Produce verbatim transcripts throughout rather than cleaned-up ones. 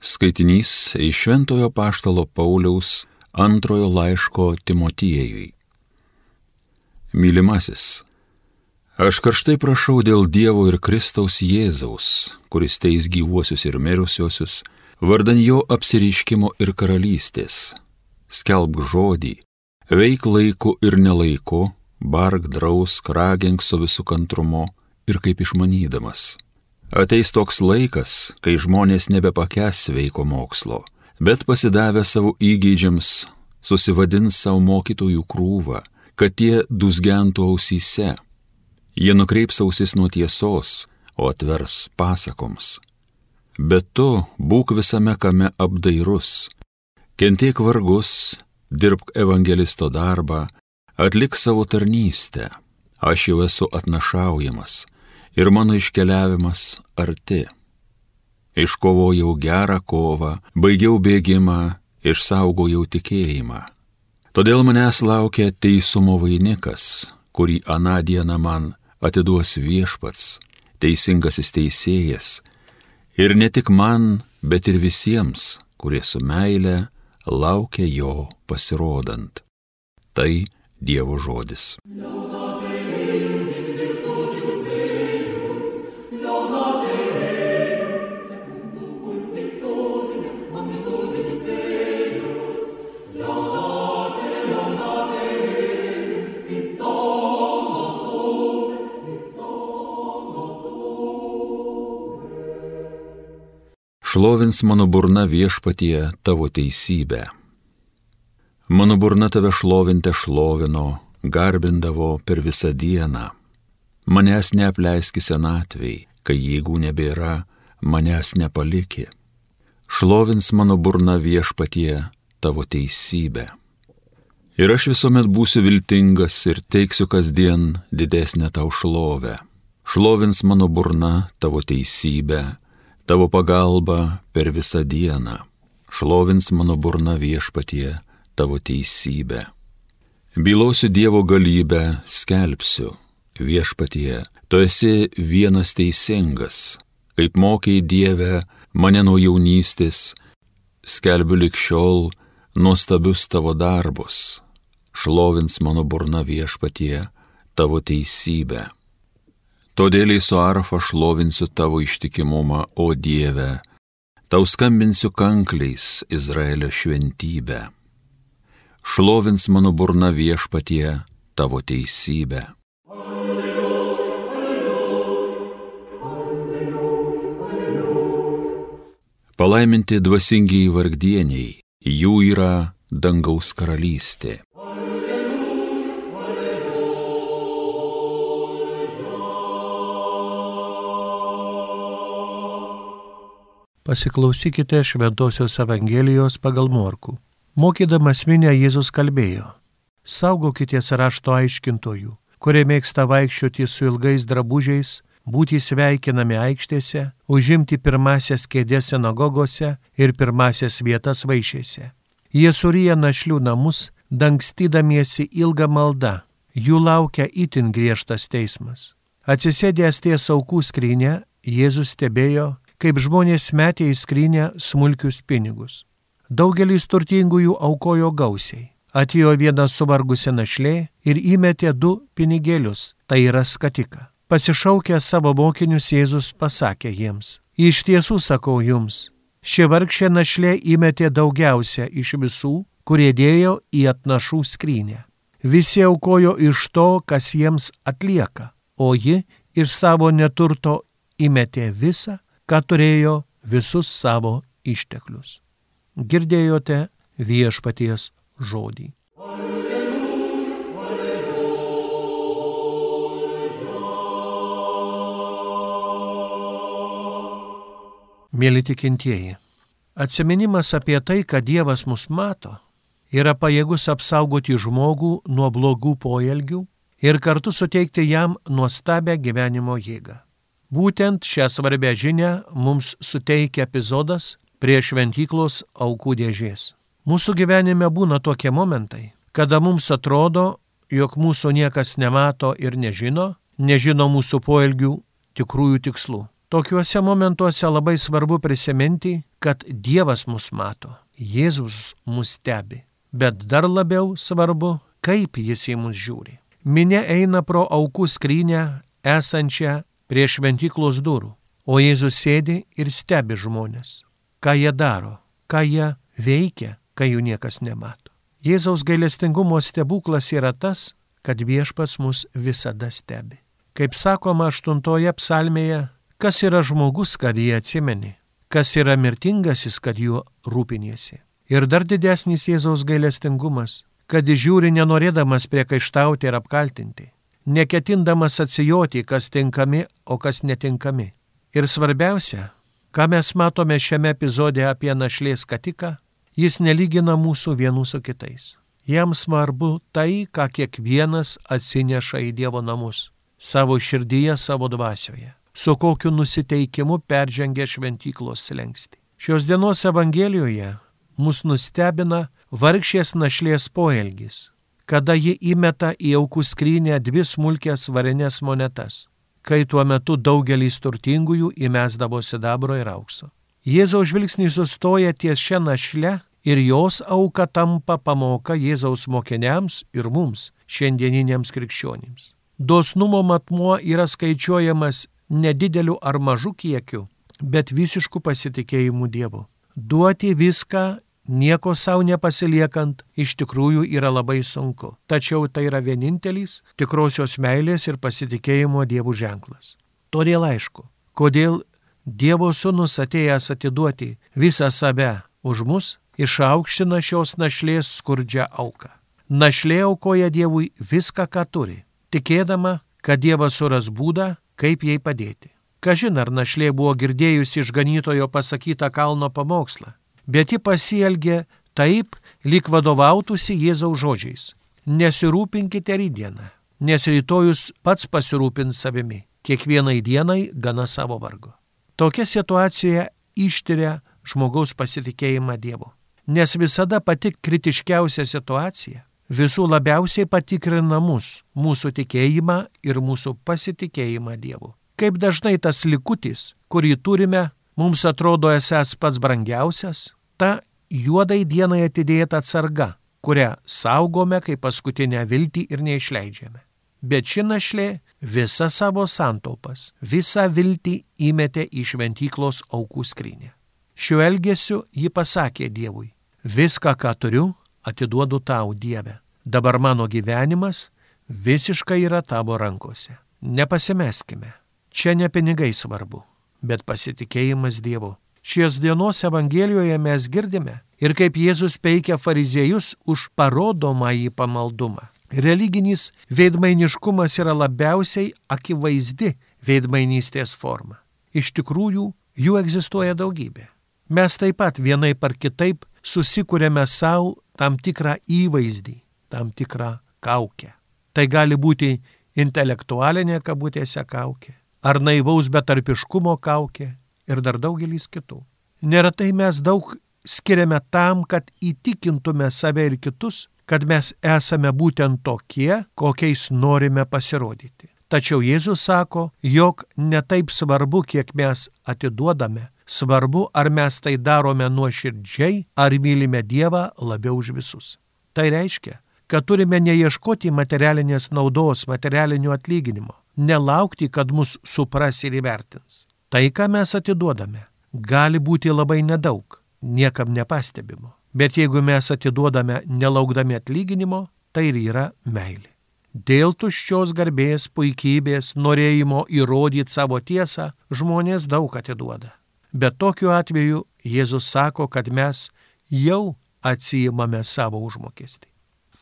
Skaitinys iš Šventojo Apaštalo Pauliaus antrojo laiško Timotiejui. Mylimasis, aš karštai prašau dėl Dievo ir Kristaus Jėzaus, kuris teis gyvuosius ir mirusiuosius, vardan jo apsireiškimo ir karalystės. Skelbk žodį, veik laiku ir nelaiku, bark drausk, ragink su visu kantrumu ir kaip išmanydamas. Ateis toks laikas, kai žmonės nebepakęs sveiko mokslo, bet pasidavę savo įgeidžiams susivadins savo mokytojų krūvą, kad tie dūzgentų ausyse. Jie nukreips ausis nuo tiesos, o atvers pasakoms. Bet tu būk visame kame apdairus, kentėk vargus, dirbk evangelisto darbą, atlik savo tarnystę. Aš jau esu atnašaujamas ir mano iškeliavimas arti. Iškovojau gerą kovą, baigiau bėgimą, išsaugojau tikėjimą. Todėl manęs laukia teisumo vainikas, kurį aną dieną man atiduos Viešpats, teisingasis teisėjas, ir ne tik man, bet ir visiems, kurie su meile laukia jo pasirodant. Tai Dievo žodis. Šlovins mano burna Viešpatie tavo teisybę. Mano burna tave šlovinte šlovino, garbindavo per visą dieną. Manęs neapleiski senatvei, kai jėgų nebėra, manęs nepaliki. Šlovins mano burna Viešpatie tavo teisybę. Ir aš visuomet būsiu viltingas ir teiksiu kasdien didesnę tau šlovę. Šlovins mano burna tavo teisybę, tavo pagalba per visą dieną. Šlovins mano burna Viešpatie tavo teisybę. Bylosiu Dievo galybę, skelbsiu. Viešpatie, tu esi vienas teisingas. Kaip mokei Dieve mane nuo jaunystės, skelbiu lig šiol nuostabius tavo darbus. Šlovins mano burna Viešpatie tavo teisybę. Todėl su arfa šlovinsiu tavo ištikimumą, o Dieve, tau skambinsiu kankliais Izraelio šventybę. Šlovins mano burna Viešpatie tavo teisybę. Alleluja, alleluja, alleluja, alleluja. Palaiminti dvasingiai vargdieniai, jų yra dangaus karalystė. Pasiklausykite Šventosios Evangelijos pagal Morkų. Mokydamas minią Jėzus kalbėjo: saugokitės rašto aiškintojų, kurie mėgsta vaikščioti su ilgais drabužiais, būti sveikinami aikštėse, užimti pirmasias kėdės sinagogose ir pirmasias vietas vaišėse. Jie suryja našlių namus, dangstydamiesi ilgą maldą. Jų laukia itin griežtas teismas. Atsisėdęs ties aukų skrynia, Jėzus stebėjo, kaip žmonės metė į skrynę smulkius pinigus. Daugelis turtingųjų aukojo gausiai. Atėjo viena suvargusi našlė ir įmetė du pinigėlius, tai yra skatiką. Pasišaukęs savo mokinius, Jėzus pasakė jiems: iš tiesų sakau jums, ši vargšė našlė įmetė daugiausia iš visų, kurie dėjo į atnašų skrynę. Visi aukojo iš to, kas jiems atlieka, o ji iš savo neturto įmetė visą, ką turėjo, visus savo išteklius. Girdėjote Viešpaties žodį. Alleluja, alleluja. Mėly tikintieji, atsiminimas apie tai, kad Dievas mus mato, yra pajėgus apsaugoti žmogų nuo blogų poelgių ir kartu suteikti jam nuostabią gyvenimo jėgą. Būtent šią svarbę žinią mums suteikia epizodas prie šventyklos aukų dėžės. Mūsų gyvenime būna tokie momentai, kada mums atrodo, jog mūsų niekas nemato ir nežino, nežino mūsų poelgių tikrųjų tikslų. Tokiuose momentuose labai svarbu prisiminti, kad Dievas mus mato, Jėzus mus stebi, bet dar labiau svarbu, kaip jis į mus žiūri. Minia eina pro aukų skrynę esančią prie šventyklos durų, o Jėzus sėdi ir stebi žmonės. Ką jie daro, ką jie veikia, kai jų niekas nemato. Jėzaus gailestingumo stebuklas yra tas, kad viešpats mus visada stebi. Kaip sakoma aštuntoje psalmėje, kas yra žmogus, kad jį atsimeni, kas yra mirtingasis, kad juo rūpiniesi. Ir dar didesnis Jėzaus gailestingumas, kad jis žiūri nenorėdamas priekaištauti ir apkaltinti, neketindamas atsijoti, kas tinkami, o kas netinkami. Ir svarbiausia, ką mes matome šiame epizode apie našlės skatiką, jis nelygina mūsų vienų su kitais. Jam svarbu tai, ką kiekvienas atsineša į Dievo namus, savo širdyje, savo dvasioje, su kokiu nusiteikimu peržengia šventyklos slengstį. Šios dienos Evangelijoje mus nustebina vargšės našlės poelgis, kada ji įmeta į aukų skrynę dvi smulkės varinės monetas, kai tuo metu daugelis turtingųjų įmesdavo sidabro ir aukso. Jėzaus žvilgsnis sustoja ties šią našlę ir jos auka tampa pamoka Jėzaus mokiniams ir mums, šiandieniniams krikščionims. Dosnumo matmuo yra skaičiuojamas nedideliu ar mažu kiekiu, bet visišku pasitikėjimu Dievu. Duoti viską, nieko savo nepasiliekant, iš tikrųjų yra labai sunku. Tačiau tai yra vienintelis tikrosios meilės ir pasitikėjimo Dievu ženklas. Todėl aišku, kodėl Dievo sūnus atėjęs atiduoti visą save už mus, išaukština šios našlės skurdžią auką. Našlė aukoja Dievui viską, ką turi, tikėdama, kad Dievas suras būdą, kaip jai padėti. Kažin ar našlė buvo girdėjusi išganytojo pasakytą kalno pamokslą, bet ji pasielgė taip, lyg vadovautųsi Jėzaus žodžiais. Nesirūpinkite rytdieną, nes rytojus pats pasirūpins savimi, kiekvienai dienai gana savo vargo. Tokia situacija ištiria žmogaus pasitikėjimą Dievu, nes visada pati kritiškiausia situacija visų labiausiai patikrina mus, mūsų tikėjimą ir mūsų pasitikėjimą Dievu. Kaip dažnai tas likutis, kurį turime, mums atrodo esąs pats brangiausias, ta juodai dienai atidėta atsarga, kurią saugome kaip paskutinę viltį ir neišleidžiame. Bet ši našlė visą savo santaupas, visą viltį įmetė į šventyklos aukų skrynę. Šiuo elgesiu ji pasakė Dievui, viską, ką turiu, atiduodu tau, Dieve. Dabar mano gyvenimas visiškai yra tavo rankose. Nepasimeskime. Čia ne pinigai svarbu, bet pasitikėjimas Dievu. Šios dienos Evangelijoje mes girdime ir kaip Jėzus peikia fariziejus už parodomąjį pamaldumą. Religinis veidmainiškumas yra labiausiai akivaizdi veidmainystės forma. Iš tikrųjų, jų egzistuoja daugybė. Mes taip pat vienaip ar kitaip susikūrėme savo tam tikrą įvaizdį, tam tikrą kaukę. Tai gali būti intelektualinė kabutėse kaukė, ar naivaus betarpiškumo kaukė ir dar daugelis kitų. Neretai mes daug skiriame tam, kad įtikintume save ir kitus, kad mes esame būtent tokie, kokiais norime pasirodyti. Tačiau Jėzus sako, jog ne taip svarbu, kiek mes atiduodame, svarbu, ar mes tai darome nuoširdžiai, ar mylime Dievą labiau už visus. Tai reiškia, kad turime neieškoti materialinės naudos, materialinio atlyginimo, nelaukti, kad mus supras ir įvertins. Tai, ką mes atiduodame, gali būti labai nedaug, niekam nepastebimo. Bet jeigu mes atiduodame nelaukdami atlyginimo, tai ir yra meilė. Dėl tuščios garbės, puikybės, norėjimo įrodyti savo tiesą, žmonės daug atiduoda. Bet tokiu atveju Jėzus sako, kad mes jau atsiimame savo užmokestį.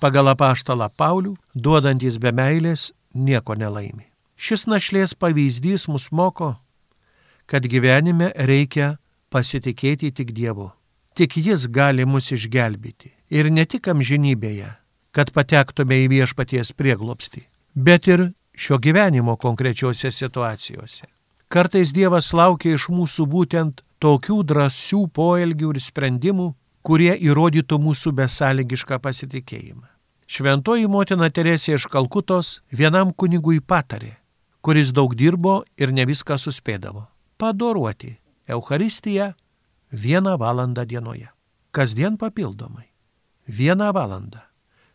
Pagal apaštalą Paulių, duodantis be meilės, nieko nelaimi. Šis našlės pavyzdys mus moko, kad gyvenime reikia pasitikėti tik Dievu. Tik Jis gali mus išgelbėti. Ir ne tik amžinybėje, kad patektume į viešpaties prieglobstį, bet ir šio gyvenimo konkrečiose situacijose. Kartais Dievas laukia iš mūsų būtent tokių drąsių poelgių ir sprendimų, kurie įrodytų mūsų besąlygišką pasitikėjimą. Šventoji motina Teresė iš Kalkutos vienam kunigui patarė, kuris daug dirbo ir ne viską suspėdavo. padoruoti Eucharistiją vieną valandą dienoje. Kasdien papildomai. Vieną valandą.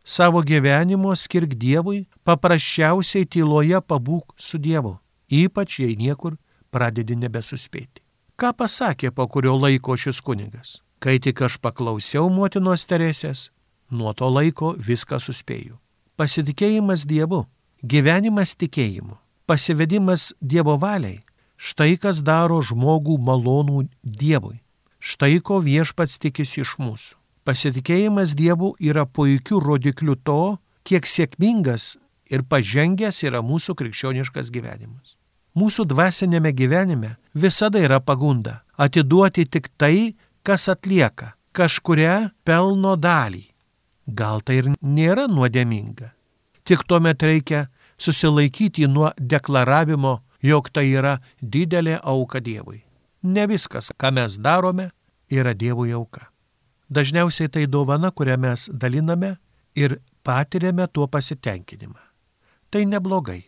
Savo gyvenimo skirk Dievui, paprasčiausiai tyloje pabūk su Dievu, ypač jei niekur pradedi nebesuspėti. Ką pasakė po kurio laiko šis kunigas? Kai tik aš paklausiau motinos Teresės, nuo to laiko viską suspėjau. Pasitikėjimas Dievu, gyvenimas tikėjimu, pasivedimas Dievo valiai, štai kas daro žmogų malonų Dievui. Štai ko viešpats tikisi iš mūsų. Pasitikėjimas Dievu yra puikiu rodikliu to, kiek sėkmingas ir pažengęs yra mūsų krikščioniškas gyvenimas. Mūsų dvasinėme gyvenime visada yra pagunda atiduoti tik tai, kas atlieka kažkurią pelno dalį. Gal tai ir nėra nuodėminga. Tik tuomet reikia susilaikyti nuo deklaravimo, jog tai yra didelė auka Dievui. Ne viskas, ką mes darome, yra Dievui auka. Dažniausiai tai dovana, kurią mes daliname ir patiriame tuo pasitenkinimą. Tai neblogai,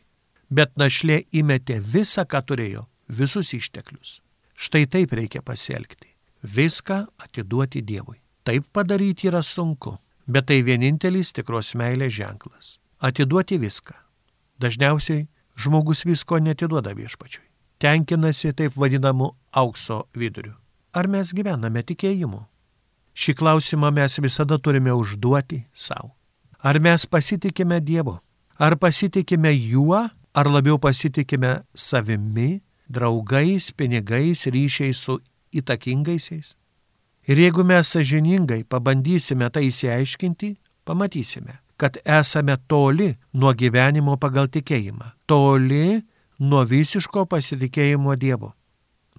bet našlė įmetė visą, ką turėjo, visus išteklius. Štai taip reikia pasielgti. Viską atiduoti Dievui. Taip padaryti yra sunku, bet tai vienintelis tikros meilės ženklas. Atiduoti viską. Dažniausiai žmogus visko netiduoda viešpačiui. Tenkinasi taip vadinamu aukso viduriu. Ar mes gyvename tikėjimu? Šį klausimą mes visada turime užduoti savo. Ar mes pasitikime Dievu? Ar pasitikime juo, ar labiau pasitikime savimi, draugais, pinigais, ryšiais su įtakingaisiais? Ir jeigu mes sąžiningai pabandysime tai išsiaiškinti, pamatysime, kad esame toli nuo gyvenimo pagal tikėjimą, toli nuo visiško pasitikėjimo Dievu.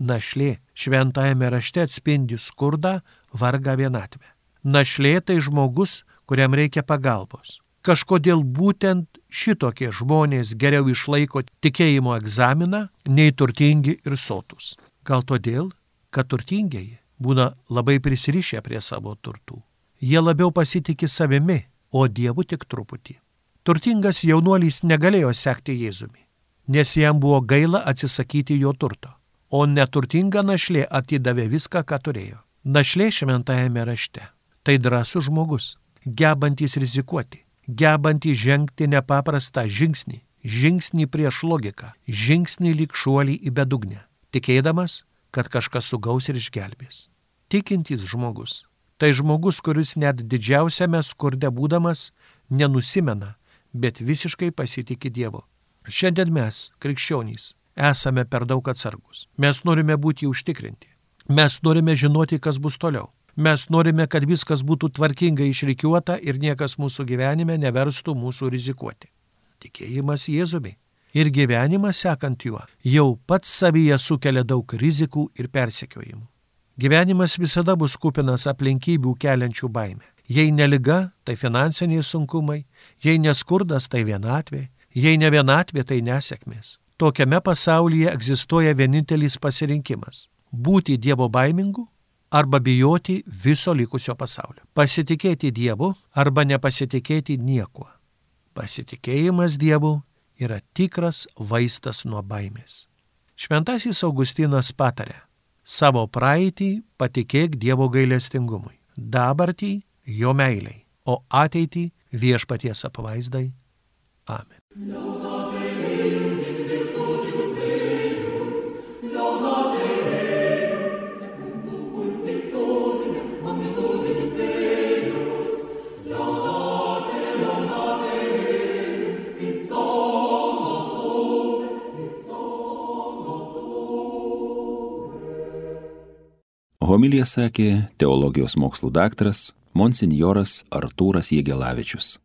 Našlė šventajame rašte atspindi skurdą, vargą, vienatvę. Našlė tai žmogus, kuriam reikia pagalbos. Kažkodėl būtent šitokie žmonės geriau išlaiko tikėjimo egzaminą nei turtingi ir sotus. Gal todėl, kad turtingieji būna labai prisirišę prie savo turtų. Jie labiau pasitikė savimi, o Dievu tik truputį. Turtingas jaunuolis negalėjo sekti Jėzumi, nes jam buvo gaila atsisakyti jo turto, o neturtinga našlė atidavė viską, ką turėjo. Našlė šventajame rašte tai drąsus žmogus, gebantis rizikuoti, gebantis žengti nepaprastą žingsnį, žingsnį prieš logiką, žingsnį lyg šuolį į bedugnę, tikėdamas, kad kažkas sugaus ir išgelbės. Tikintis žmogus tai žmogus, kuris net didžiausiame skurde būdamas nenusimena, bet visiškai pasitikė Dievu. Šiandien mes, krikščionys, esame per daug atsargus. Mes norime būti užtikrinti. Mes norime žinoti, kas bus toliau. Mes norime, kad viskas būtų tvarkingai išrikiuota ir niekas mūsų gyvenime neverstų mūsų rizikuoti. Tikėjimas Jėzumi ir gyvenimas sekant juo jau pats savyje sukelia daug rizikų ir persekiojimų. Gyvenimas visada bus kupinas aplinkybių keliančių baimę. Jei ne liga, tai finansiniai sunkumai, jei neskurdas, tai vienatvė, jei ne vienatvė, tai nesėkmės. Tokiame pasaulyje egzistuoja vienintelis pasirinkimas – būti Dievo baimingu arba bijoti viso likusio pasaulio. Pasitikėti Dievu arba nepasitikėti niekuo. Pasitikėjimas Dievu yra tikras vaistas nuo baimės. Šventasis Augustinas patarė: savo praeitį patikėk Dievo gailestingumui, dabartį jo meiliai, o ateitį viešpaties apvaizdai. Amen. Homiliją sakė teologijos mokslų daktaras monsinjoras Artūras Jegelavičius.